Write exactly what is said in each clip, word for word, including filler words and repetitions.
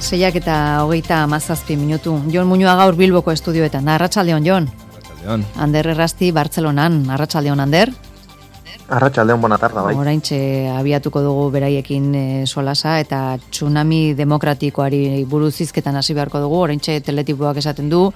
seiak eta hogeita hamazazpi minutu. Jon Muñoa gaur Bilboko estudioetan. Arratsaldeon, Jon. Arratsaldeon. Ander Errasti, Bartzelonan. Arratsaldeon, Ander. Arratsaldeon, bona tarda, bai. Oraintxe abiatuko dugu beraiekin e, solasa eta tsunami demokratikoari buruz hizketan hasi beharko dugu. Oraintxe teletipoak esaten du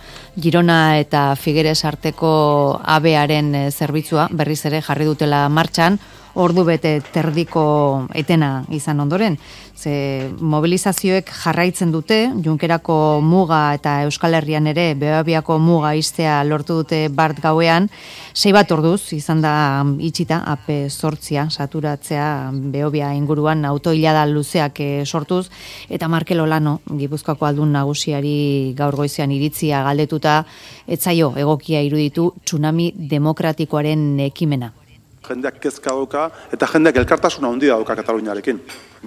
Girona eta Figueres arteko abearen e, zerbitzua berriz ere jarri dutela martxan. Ordu bete terdiko etena izan ondoren. Ze mobilizazioek jarraitzen dute, Junkerako muga eta Euskal Herrian ere Beobiako muga iztea lortu dute bart gauean, sei bat orduz izan da itxita, ape zortzia, saturatzea Beobia inguruan autoilada luzeak sortuz, eta Markel Olano, Gipuzkoako aldun nagusiari gaur goizean iritzia galdetuta, etzaio egokia iruditu tsunami demokratikoaren ekimena. Jendeak kezka dauka eta jendeak elkartasuna handia dauka Kataluniarekin.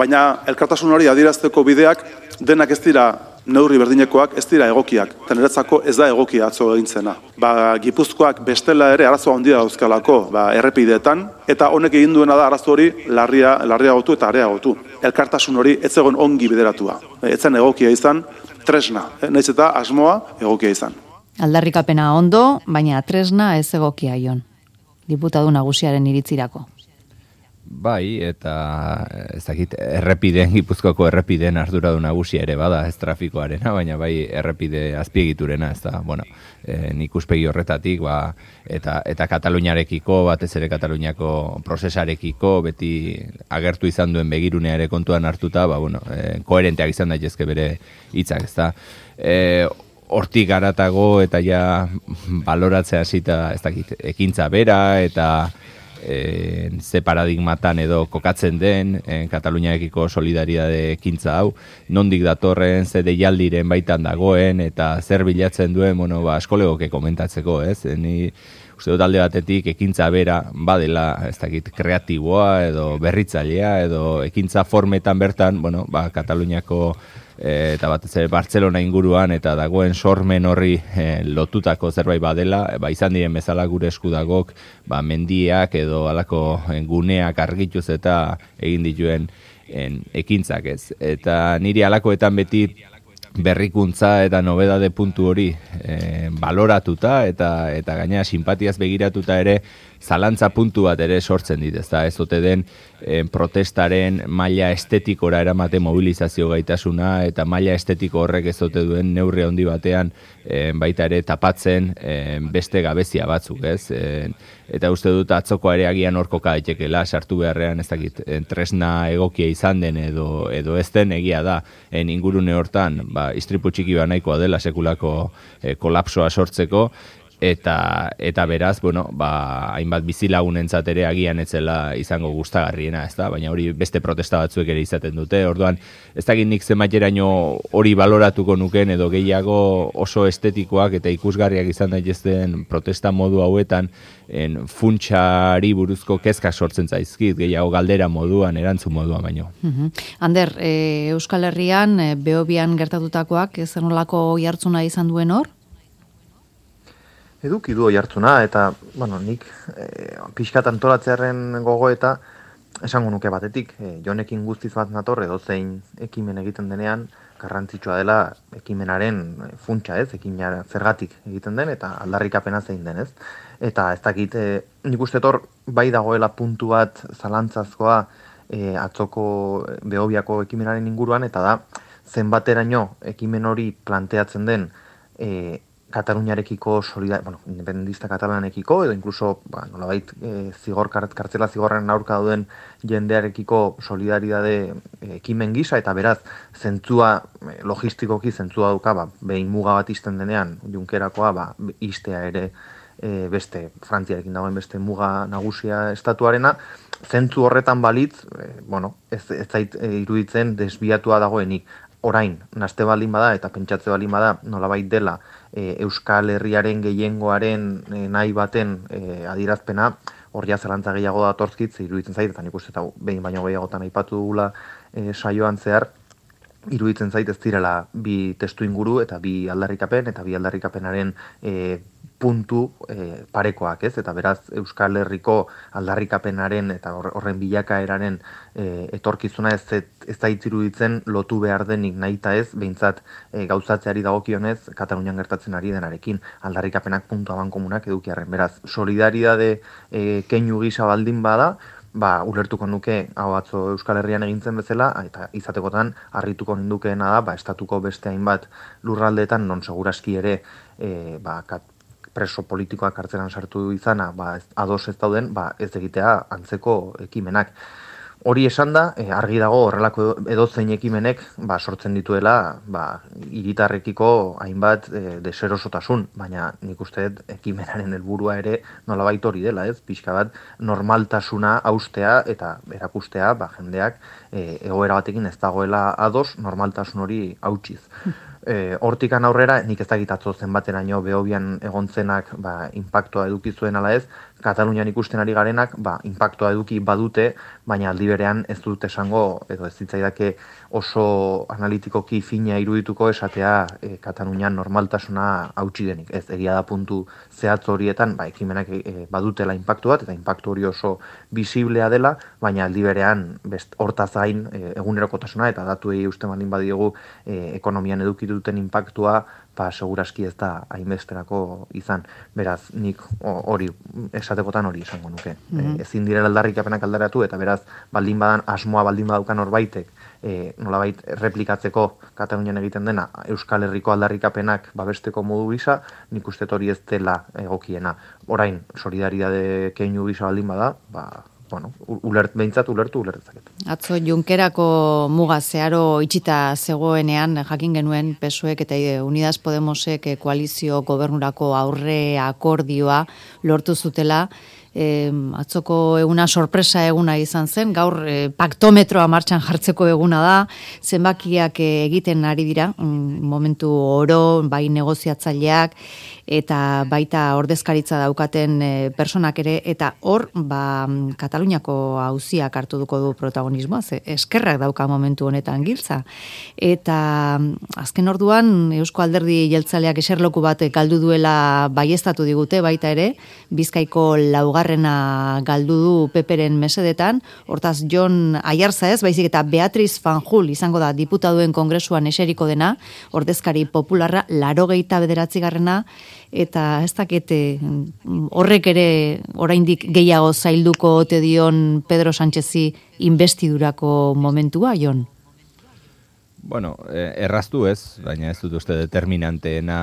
Baina elkartasun hori adierazteko bideak denak ez dira neurri berdinekoak, ez dira egokiak. Eta niretzako ez da egokia atzo egintzena. Ba, Gipuzkoak bestela ere arazo handia dauzkalako ba, errepideetan, eta honek egin duena da arazo hori larria, larriagotu eta areagotu. Elkartasun hori ez egon ongi bideratua. Ez zen egokia izan, tresna. Nahiz eta asmoa egokia izan. Aldarrikapena ondo, baina tresna ez egokia, Jon. Diputadu nagusiaren iritzirako. Bai, eta ez dakit, errepideen, Gipuzkoako errepideen arduradun nagusia ere bada, ez trafikoarena, baina bai errepide azpiegiturena, ez da, bueno, e, nik uspegi horretatik, ba, eta, eta Kataluniarekiko, batez ere Kataluniako prozesarekiko, beti agertu izan duen begirunea ere kontuan hartuta, ba, bueno, e, koherenteak izan daitezke bere hitzak, ez da. E, Hortik garatago eta ja baloratzea hasita ez dakit, ekintza bera eta e, ze paradigmatan edo kokatzen den e, Kataluniarekiko solidaridade ekintza hau, nondik datorren, ze deialdiren baitan dagoen eta zer bilatzen duen, bueno, ba, askolegoke komentatzeko, ez? Ni uste dut alde batetik ekintza bera badela, ez dakit, kreatiboa edo berritzailea edo ekintza formetan bertan, bueno, ba, Kataluniako E, eta batez ere Bartzelona inguruan eta dagoen sormen horri e, lotutako zerbait badela, e, ba, izan diren bezala gure eskudagok ba, mendiak edo alako guneak argituz eta egin dituen en, ekintzak ez. Eta niri alakoetan beti berrikuntza eta nobedade puntu hori e, baloratuta eta eta gainera simpatiaz begiratuta ere zalantza puntu bat ere sortzen dit, ezta ez ote den e, protestaren maila estetikora eramate mobilizazio gaitasuna eta maila estetiko horrek ez ote duen neurri handi batean e, baita ere tapatzen e, beste gabezia batzuk, ez? E, eta uste dut atzoko ere agian hor koka daitekeela sartu beharrean ez dakit e, tresna egokia izan den edo edo ez den egia da en ingurune hortan ba istripu txiki ba nahikoa dela sekulako e, kolapsoa sortzeko. Eta, eta beraz, bueno, ba, hainbat bizilagunentzat ere agian etzela izango gustagarriena, ez da? Baina hori beste protesta batzuek ere izaten dute. Orduan, ez dakit nik zenbateraino hori baloratuko nuken edo gehiago oso estetikoak eta ikusgarriak izan daitezten protesta modu hauetan en funtsari buruzko kezka sortzen zaizkit, gehiago galdera moduan, erantzun moduan baino. Uh-huh. Ander, e, Euskal Herrian, e, Beobian gertatutakoak, ez zenolako jartzuna izan duen hor? Eduki du jartzuna, eta, bueno, nik e, pixkat antolatzearen gogoeta esango nuke batetik. E, jonekin guztiz bat nator, edo zein ekimen egiten denean, garrantzitsua dela ekimenaren funtsa ez, ekimena zergatik egiten den, eta aldarrikapena zein den ez. Eta ez dakit, e, nik uste tor, bai dagoela puntu bat zalantzazkoa e, atzoko Beobiako ekimenaren inguruan, eta da, zenbateraino ekimen hori planteatzen den e, Kataluniarekiko solidar, bueno, independentista katalanekiko edo incluso, ba, nolabait e, zigor kartzela zigorren aurka duen jendearekiko solidaridade e, ekimen gisa eta beraz zentzua e, logistikoki zentzua dauka, ba, behin muga bat izten denean Junkerakoa, ba, istea ere e, beste Frantziarekin dagoen beste muga nagusia estatuarena, zentzu horretan balitz, e, bueno, ez, ez zait e, iruditzen desbiatua dagoenik. Orain, naste baldin bada eta pentsatze baldin bada nolabait dela e, Euskal Herriaren gehiengoaren e, nahi baten e, adierazpena, hor ja zelantza gehiago datortzkit, iruditzen zait, eta nik uste eta behin baino gehiagotan aipatu dugula e, saioan zehar, iruditzen zait ez direla bi testu inguru eta bi aldarrikapen eta bi aldarrikapenaren e, puntu e, parekoak, ez? Eta beraz Euskal Herriko aldarrikapenaren eta horren bilakaeraren e, etorkizuna ez ez da itziruditzen lotu behar denik nahita ez, behintzat e, gauzatzeari dagokionez Katalunian gertatzen ari denarekin aldarrikapenak puntu abankomunak edukiarren. Beraz, solidaridade e, keinu gisa baldin bada, ba, ulertuko nuke hau atzo Euskal Herrian egintzen bezala, eta izatekotan harrituko nindukeena da, ba, estatuko beste hainbat lurraldeetan non seguraski ere e, ba, kat, preso politikoak kartzelan sartu izana, ba, ados ez dauden, ba, ez egitea antzeko ekimenak. Hori esan da, e, argi dago horrelako edozein ekimenek ba, sortzen dituela ba, hiritarrekiko hainbat e, deserosotasun, baina nik uste ekimenaren helburua ere nolabait hori dela, ez? Pixka bat normaltasuna haustea eta erakustea ba, jendeak e, egoera batekin ez dagoela ados normaltasun hori hautsiz. E, hortikan aurrera, nik ez dakit atzo zenbateraino Behobian egontzenak ba, inpaktua eduki zuen ala ez, Katalunian ikusten ari garenak ba, inpaktua eduki badute, baina aldi berean ez dut esango, edo ez ditzaidake oso analitikoki fina irudituko esatea e, Katalunian normaltasuna hautsi denik. Ez egia da puntu zehatz horietan, ba, ekimenak e, badutela inpaktu bat, eta inpaktu hori oso bisiblea dela, baina aldi berean best, hortaz gain e, egunerokotasuna, eta datuei uste baldin badiogu e, ekonomian eduki duten inpaktua, ba, seguraski ez da hainbesterako izan. Beraz, nik hori, esatekotan hori esango nuke. Mm-hmm. e, ezin direla aldarrikapenak aldaratu, eta beraz, baldin badan, asmoa baldin badaukan horbaitek, e, nolabait replikatzeko Katalunian egiten dena, Euskal Herriko aldarrikapenak babesteko modu gisa, nik uste hori ez dela egokiena. Orain, solidaridade keinu gisa baldin bada, ba, bueno, ulert, behintzat ulertu ulertzaket. Atzo Junkerako muga zeharo itxita zegoenean jakin genuen P S O Ek eta Unidas Podemosek koalizio gobernurako aurre akordioa lortu zutela. E, atzoko eguna sorpresa eguna izan zen, gaur e, paktometroa martxan jartzeko eguna da, zenbakiak e, egiten ari dira, mm, momentu oro, bai negoziatzaileak, eta baita ordezkaritza daukaten e, personak ere, eta hor, ba, Kataluniako auziak hartu duko du protagonismoa, ze eskerrak dauka momentu honetan giltza. Eta azken orduan, Eusko Alderdi Jeltzaleak eserloku bat galdu duela baieztatu digute, baita ere, Bizkaiko laugarrena galdu du Peperen mesedetan, hortaz Jon Aiartza ez, baizik eta Beatriz Fanjul izango da diputaduen kongresuan eseriko dena, ordezkari popularra, laurogeita bederatzigarrena, eta ez dakete horrek ere oraindik gehiago zailduko ote dion Pedro Sánchezi investidurako momentua, Jon? Bueno, erraztu ez, baina ez dut uste determinanteena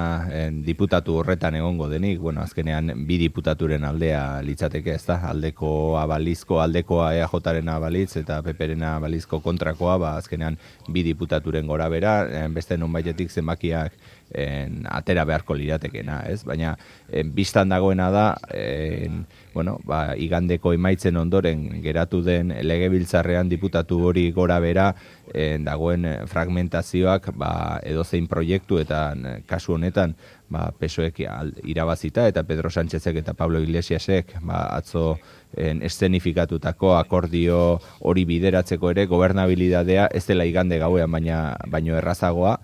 diputatu horretan egongo denik. Bueno, azkenean bi diputaturen aldea litzateke, ez da? Aldekoa balizko, aldekoa E A Jaren abalitz eta Peperena balizko kontrakoa, ba, azkenean bi diputaturen gora bera, beste nonbaitetik zenbakiak en, atera beharko liratekena, ez? Baina en, biztan dagoena da, en, bueno, ba, igandeko emaitzen ondoren geratu den legebiltzarrean diputatu hori gora bera en, dagoen fragmentazioak ba, edozein proiektu eta kasu honetan ba, P S O Ek irabazita eta Pedro Sánchezek eta Pablo Iglesiasek ba, atzo en, eszenifikatutako akordio hori bideratzeko ere gobernabilidadea ez dela igande gauean baina baino errazagoa.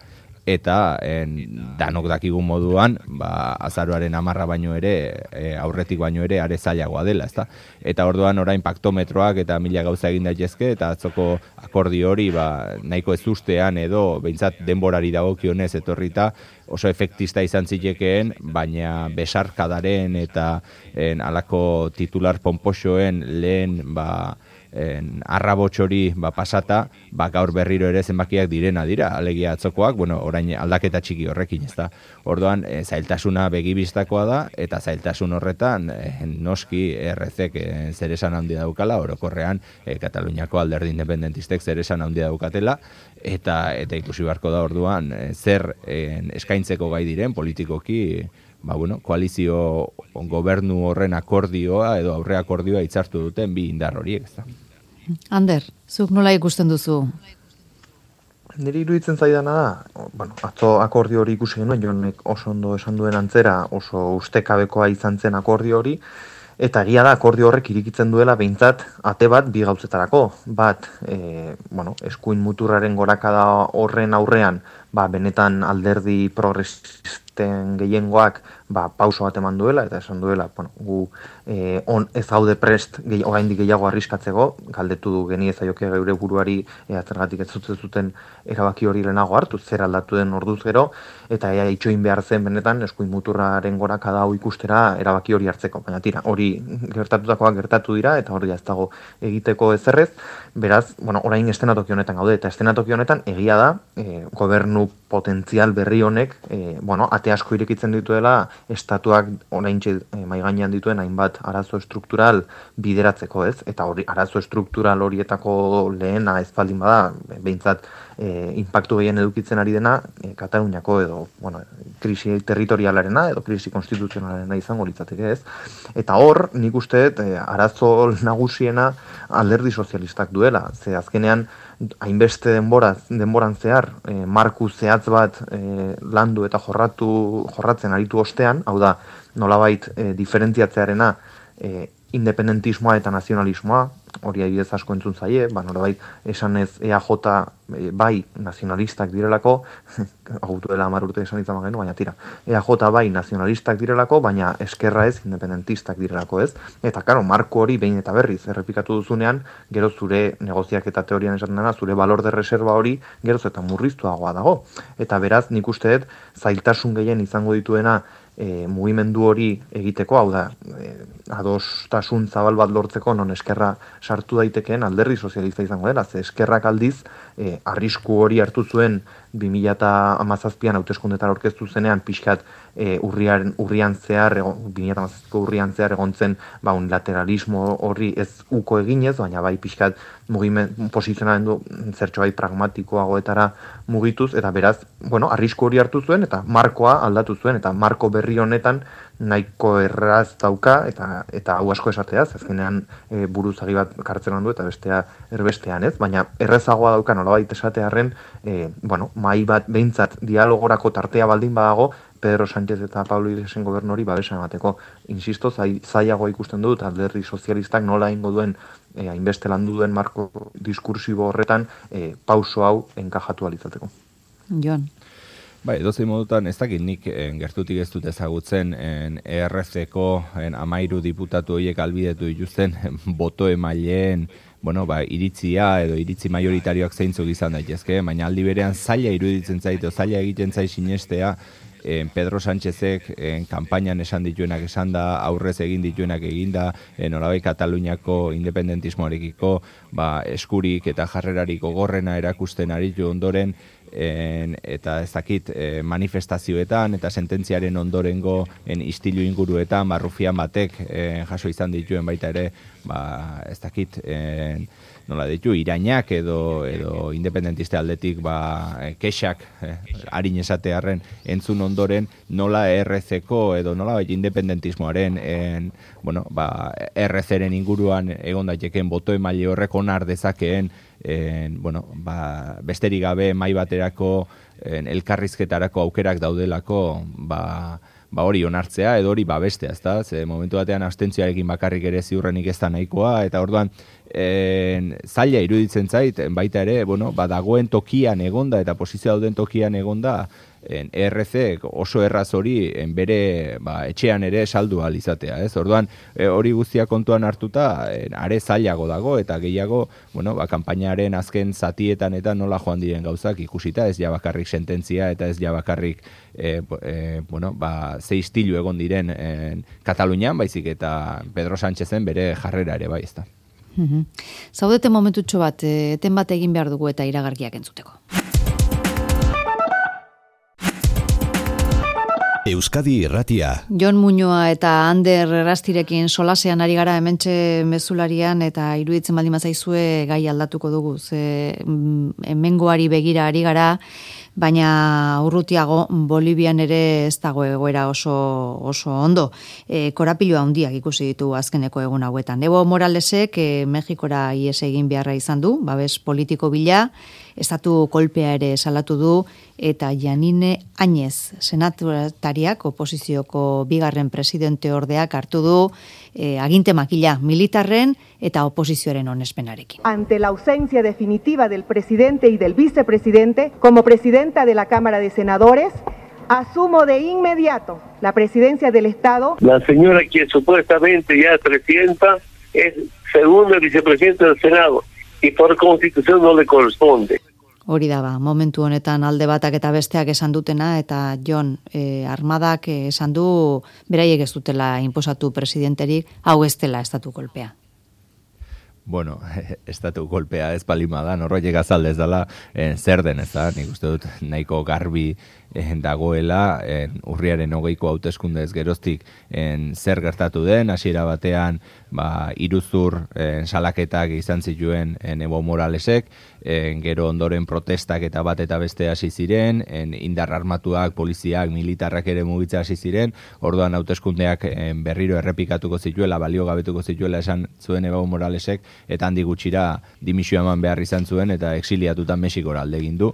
Eta en, danok dakigun moduan, ba, azaroaren amarra baino ere, e, aurretik baino ere, are zailagoa dela, ezta? Eta orduan orain paktometroak eta mila gauza egin daitezke, eta atzoko akordio hori ba, nahiko ez ustean edo, behintzat denborari dagokionez etorrita, oso efektista izan zitekeen, baina besarkadaren eta en, alako titular ponpoxoen lehen, ba, En, arrabotxori ba, pasata, ba, gaur berriro ere zenbakiak direna dira, alegia atzokoak, bueno, orain aldaketa txiki horrekin, ez da. Orduan, e, zailtasuna begibistakoa da, eta zailtasun horretan, e, noski R Zek e, zer esan handia daukala, orokorrean, e, Kataluniako alderdi independentistek zer esan handia daukatela, eta, eta ikusi beharko da orduan, e, zer e, eskaintzeko gai diren politikoki, ba, bueno, koalizio gobernu horren akordioa edo aurre akordioa hitzartu duten bi indar horiek, ez da. Ander, zuk nola ikusten duzu? Niri iruditzen zaidana da, bueno, atzo akordio hori ikusi genuen, Jonek oso ondo esan duen antzera, oso ustekabekoa izan zen akordio hori, eta egia da akordio horrek irikitzen duela behintzat ate bat bi gauzetarako. Bat, e, bueno, eskuin muturraren gorakada horren aurrean, ba, benetan alderdi progresisten gehiengoak ba, pauso bat eman duela, eta esan duela, bueno, gu eh, on, ez gaude prest gehi, oraindik gehiago arriskatzeko, galdetu du geni ezaioke geure buruari ea zergatik ez zuten zuten erabaki hori lehenago hartu, zer aldatu den orduz gero, eta ea itxoin behar zen benetan eskuin muturraren gorakada hau ikustera erabaki hori hartzeko. Baina tira, hori gertatutakoak gertatu dira, eta hori ez dago egiteko ezerrez, beraz, bueno, orain estenatoki honetan gaude, eta estenatoki honetan egia da, eh, gobernu potentzial berri honek, eh, bueno, ate asko irekitzen dituela estatuak oraintxe eh, mai gainean dituen hainbat arazo estruktural bideratzeko, ez? Eta hori arazo estruktural horietako lehena ez baldin bada, behintzat eh, impactu gehien edukitzen ari dena eh, Kataluniako edo, bueno, krisi territorialarena edo krisi konstituzionalarena izango litzateke, ez? Eta hor, nik uste dut, eh, arazo nagusiena alderdi sozialistak duela, ze azkenean hainbeste denbora, denboran zehar, eh, marku zehatz bat eh, landu eta jorratu, jorratzen aritu ostean, hau da, nolabait eh, diferentziatzearena eh, independentismoa eta nazionalismoa, hori adibidez asko entzun zaie, ba, nolabait esan ez E A J e, bai nazionalistak direlako, agutu dela hamar urte esan izan genu, baina tira, E A J bai nazionalistak direlako, baina eskerra ez independentistak direlako, ez? Eta, karo, marko hori behin eta berriz errepikatu duzunean, gero zure negoziak eta teorian esaten dena, zure balor de reserva hori geroz eta murriztuagoa dago. Eta beraz, nik uste dut, zailtasun gehien izango dituena E, mugimendu hori egiteko, hau da, e, adostasun zabal bat lortzeko non eskerra sartu daitekeen alderdi sozialista izango dela, ze eskerrak aldiz e, arrisku hori hartu zuen bi mila hamazazpian hauteskundetara aurkeztu zenean pixkat e, urrian, urrian zehar, bi mila hamazazpiko urrian zehar egon zen ba, unilateralismo hori ez uko eginez, baina bai pixkat mugimen, posizionamendu zertxo bai pragmatikoagoetara mugituz, eta beraz, bueno, arrisku hori hartu zuen, eta markoa aldatu zuen, eta marko berri honetan nahiko erraz dauka, eta eta hau asko esateaz, azkenean e, buruzagi bat kartzelan du, eta bestea erbestean, ez? Baina errezagoa dauka nolabait esatearren, e, bueno, mai bat behintzat dialogorako tartea baldin badago, Pedro Sánchez eta Pablo Iglesiasen gobernuri babesa emateko. Insisto, zai, zaiago ikusten dut, alderdi sozialistak nola ingo duen, e, hainbeste landu duen marko diskursibo horretan, e, pauso hau enkajatu alitzateko. Jon. Bai, edozein modutan, ez dakit nik en, gertutik ez dut ezagutzen en, E R C-ko amairu diputatu horiek albidetu dituzten boto emaileen, bueno, ba, iritzia edo iritzi majoritarioak zeintzuk izan daitezke, baina aldi berean zaila iruditzen zait, zaila egiten zait sinestea, en, Pedro Sánchezek en, kanpainan esan dituenak esan da, aurrez egin dituenak eginda, nolabait Kataluniako independentismoarekiko ba, eskurik eta jarrerarik gogorrena erakusten aritu ondoren, En, eta ez dakit e, manifestazioetan eta sententziaren ondorengo en, istilu inguruetan barrufian batek en, jaso izan dituen baita ere ba, ez dakit en, nola ditu, irainak edo, edo independentiste aldetik ba, kexak eh, harin esatearren entzun ondoren nola E R C-ko edo nola bai independentismoaren en, bueno, ba, E R C-ren inguruan egon daiteken boto emaile horrek onar dezakeen En, bueno, ba, besterik gabe mai baterako en, elkarrizketarako aukerak daudelako ba, ba hori onartzea edo hori babestea, ezta? Ze momentu batean abstentzioarekin bakarrik ere ziurrenik ez da nahikoa, eta orduan en, zaila iruditzen zait, baita ere, bueno, ba, dagoen tokian egonda eta posizio dauden tokian egonda, en, E R C oso erraz hori en, bere ba, etxean ere saldu ahal izatea, ez? Orduan, e, hori guztia kontuan hartuta, en, are zailago dago, eta gehiago, bueno, ba, kanpainaren azken zatietan eta nola joan diren gauzak ikusita, ez ja bakarrik sententzia eta ez ja bakarrik e, e, bueno, ba, ze istilu egon diren en, Katalunian, baizik eta Pedro Sánchezen bere jarrera ere bai, ezta. Mm-hmm. Zaudete momentutxo bat, eten bat egin behar dugu eta iragarkiak entzuteko. Euskadi Irratia. Jon Muñoa eta Ander Errastirekin solasean ari gara hementxe mezularian eta iruditzen baldin bazaizue gai aldatuko dugu. Ze hemengoari begira ari gara, baina urrutiago Bolivian ere ez dago egoera oso, oso ondo. E, korapilua handiak ikusi ditu azkeneko egun hauetan. Evo Moralesek e, Mexikora ies egin beharra izan du, babes politiko bila, estatu kolpea ere salatu du, eta Janine Áñez senatariak, oposizioko bigarren presidente ordeak hartu du, e, aginte makila militarren eta oposizioaren onespenarekin. Ante la ausencia definitiva del presidente y del vicepresidente, como presidenta de la Cámara de Senadores, asumo de inmediato la presidencia del Estado. La señora que supuestamente ya es presidenta es segunda vicepresidenta del Senado y por constitución no le corresponde. Hori da ba, momentu honetan alde batak eta besteak esan dutena, eta Jon, eh, armadak esan du beraiek ez dutela inposatu presidenterik, hau ez dela estatu kolpea. Bueno, estatu kolpea ez palima da, norroiek azaldez dela, eh, zer den ez da, nik uste dut nahiko garbi eh, dagoela, eh, urriaren hogeiko hauteskundez geroztik eh, zer gertatu den, hasiera batean ba, iruzur eh, salaketak izan zituen eh, Evo Moralesek, eh, gero ondoren protestak eta bat eta beste hasi ziren, eh, indar armatuak, poliziak, militarrak ere mugitza hasi ziren, orduan hauteskundeak eh, berriro errepikatuko zituela, balio gabetuko zituela esan zuen Evo Moralesek, eta handi gutxira dimisio eman behar izan zuen, eta exiliatutan Mexikora alde egin du,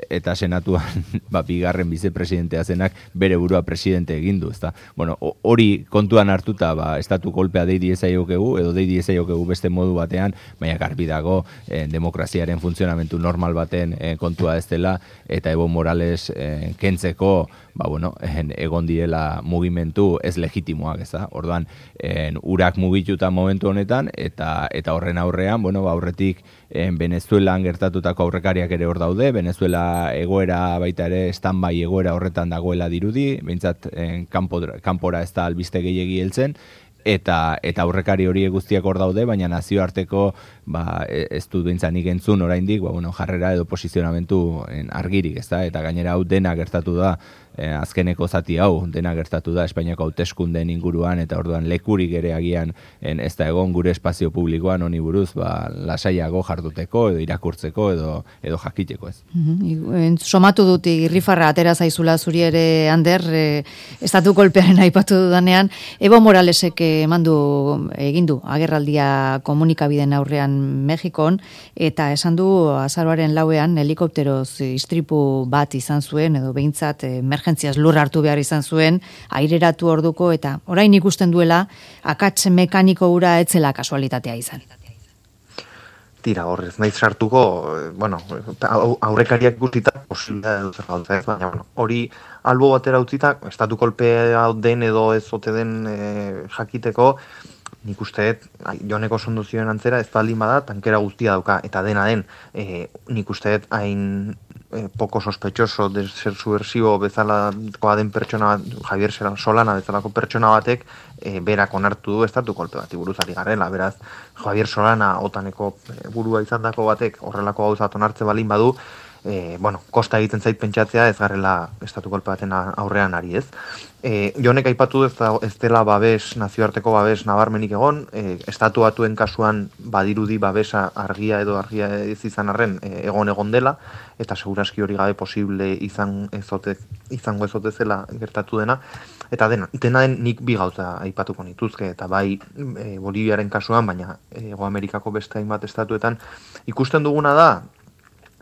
eta senatuan ba, bigarren vicepresidentea zenak bere burua presidente egin du, ezta? Bueno, hori kontuan hartuta, ba, estatu kolpea dei diezaiokegu, edo dei diezaiokegu beste modu batean, baina garbi dago eh, demokraziaren funtzionamentu normal baten eh, kontua ez dela, eta Evo Morales eh, kentzeko, ba, bueno, en, egon direla mugimendu ez legitimoak, ez da? Orduan, en, urak mugituta momentu honetan, eta eta horren aurrean, bueno, ba, aurretik en, Venezuelan gertatutako aurrekariak ere hor daude, Venezuela egoera baita ere, standby egoera horretan dagoela dirudi, behintzat en, kanpo, kanpora ez da albiste gehiegi heltzen, eta eta aurrekari hori guztiak hor daude, baina nazioarteko ba, ez dut bintzanik entzun oraindik, ba, bueno, jarrera edo posizionamentu en, argirik, ez da? Eta gainera hau dena gertatu da, eh, azkeneko zati hau, dena gertatu da Espainiako hauteskundeen inguruan, eta orduan lekurik ere agian en, ez da egon gure espazio publikoan honi buruz, ba, lasaiago jarduteko, edo irakurtzeko, edo, edo jakiteko ez. Mm-hmm. Somatu dut irrifarra atera zaizula zuri ere, Ander, e, estatu kolpearen aipatu dudanean, Evo Moralesek emandu egindu agerraldia komunikabideen aurrean Mexikon, eta esan du azaroaren lauean helikopteroz istripu bat izan zuen, edo behintzat emergentziaz lur hartu behar izan zuen, aireratu orduko, eta orain ikusten duela akats mekaniko hura etzela kasualitatea izan. Tira, horrez naiz sartuko, bueno, aurrekariak guztita posibilitatea dut gauza ez, baina bueno, hori albo batera utzita, estatu kolpea den edo ez ote den e, jakiteko, nik usteet, Joneko sondu zioen antzera, ez baldin bada, tankera guztia dauka, eta dena den, e, nik usteet hain e, poko sospechoso de ser subversibo bezalakoa den pertsona, Javier Solana bezalako pertsona batek, e, berak onartu du estatu kolpe bat buruz ari garela, beraz, Javier Solana otaneko burua izandako batek horrelako gauzat onartze balin badu, e, bueno, kosta egiten zait pentsatzea ez garrela estatu kolpe baten aurrean ari ez. E, Jonek aipatu ez, da, ez dela babes, nazioarteko babes nabarmenik egon, e, estatu batuen kasuan badirudi babesa argia edo argia ez izan arren e, egon egon dela, eta seguraski hori gabe posible izan ezote, izango ezote zela gertatu dena, eta dena, dena den nik bi gauza aipatuko nituzke, eta bai e, Boliviaren kasuan, baina Hego Amerikako beste hainbat estatuetan ikusten duguna da,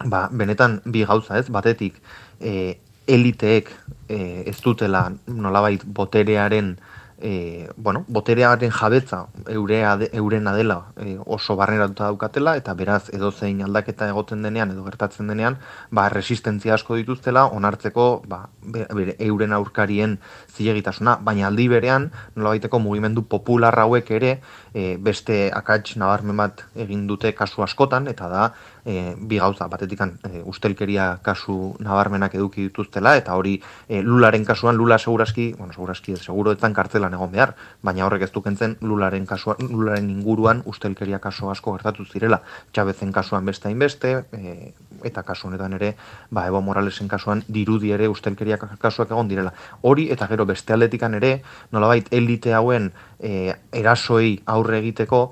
ba, benetan bi gauza ez, batetik e, eliteek e, ez dutela nolabait boterearen e, bueno, boterearen jabetza eurea de, eurena dela e, oso barneratuta daukatela, eta beraz edozein aldaketa egoten denean edo gertatzen denean, ba, resistentzia asko dituztela onartzeko ba, bere, euren aurkarien zilegitasuna, baina aldi berean nolabaiteko mugimendu popular hauek ere e, beste akats nabarmen bat egin dute kasu askotan, eta da e, bi gauza, batetikan e, ustelkeria kasu nabarmenak eduki dituztela, eta hori e, Lularen kasuan, Lula seguraski, bueno, seguraski ez, seguro etzan kartzelan egon behar, baina horrek ez dukentzen Lularen kasuan, Lularen inguruan ustelkeria kasu asko gertatu zirela, Chavezen kasuan beste hainbeste, e, eta kasu honetan ere, ba, Evo Moralesen kasuan dirudi ere ustelkeria kasuak egon direla. Hori, eta gero beste aldetikan ere, nolabait elite hauen e, erasoi aurre egiteko,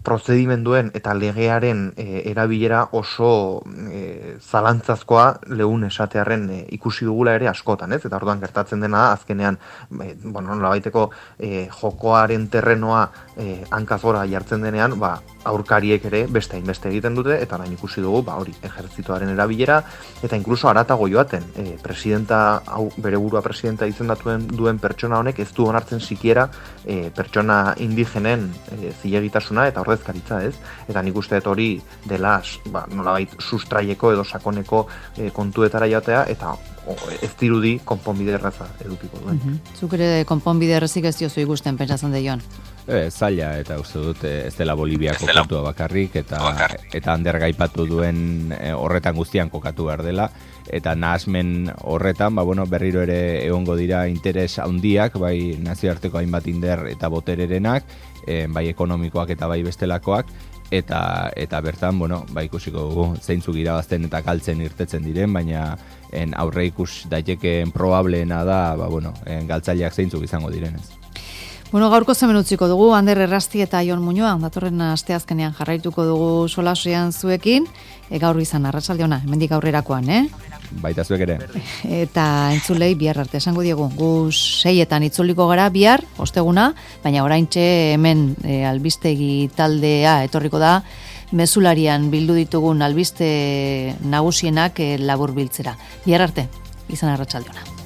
prozedimenduen eta legearen e, erabilera oso e, zalantzazkoa lehun esatearren e, ikusi dugula ere askotan, ez? Eta orduan gertatzen dena azkenean, e, bueno, nolabaiteko e, jokoaren terrenoa e, hankazgora jartzen denean, ba, aurkariek ere beste hainbeste egiten dute, eta orain ikusi dugu, ba, hori, ejertzitoaren erabilera, eta inkluso haratago joaten, e, presidenta, hau, bere burua presidenta izendatuen duen pertsona honek ez du onartzen sikiera e, pertsona indigenen e, zilegitasuna eta ordezkaritza, ez? Eta nik uste dut hori dela, ba, nolabait sustraieko edo sakoneko e, kontuetara joatea, eta o, ez dirudi konponbide erraza edukiko duen. Mm-hmm. Zuk ere konponbide errazik ez diozu ikusten pentsatzen de Jon? E, zaila, eta uste dut ez dela Boliviako kontua bakarrik, eta eta Ander gaipatu duen e, horretan guztian kokatu behar dela, eta nahasmen horretan, ba, bueno, berriro ere egongo dira interes handiak, bai nazioarteko hainbat inder eta botererenak, e, bai ekonomikoak eta bai bestelakoak, eta eta bertan, bueno, ba ikusiko dugu zeintzuk irabazten eta galtzen irtetzen diren, baina en aurre ikus daitekeen probableena da, ba bueno, en galtzaileak zeintzuk izango direnez. Bueno, gaurko zemen utziko dugu, Ander Errasti eta Jon Muñoa, datorren asteazkenean jarraituko dugu solasean zuekin, e, gaur izan arratsalde ona, hemendik aurrerakoan, eh? Baita zuek ere. Eta entzulei bihar arte esango diegu, gu seietan itzuliko gara bihar, osteguna, baina oraintxe hemen e, albistegi taldea etorriko da, mezularian bildu ditugun albiste nagusienak e, labur biltzera. Bihar arte, izan arratsalde ona.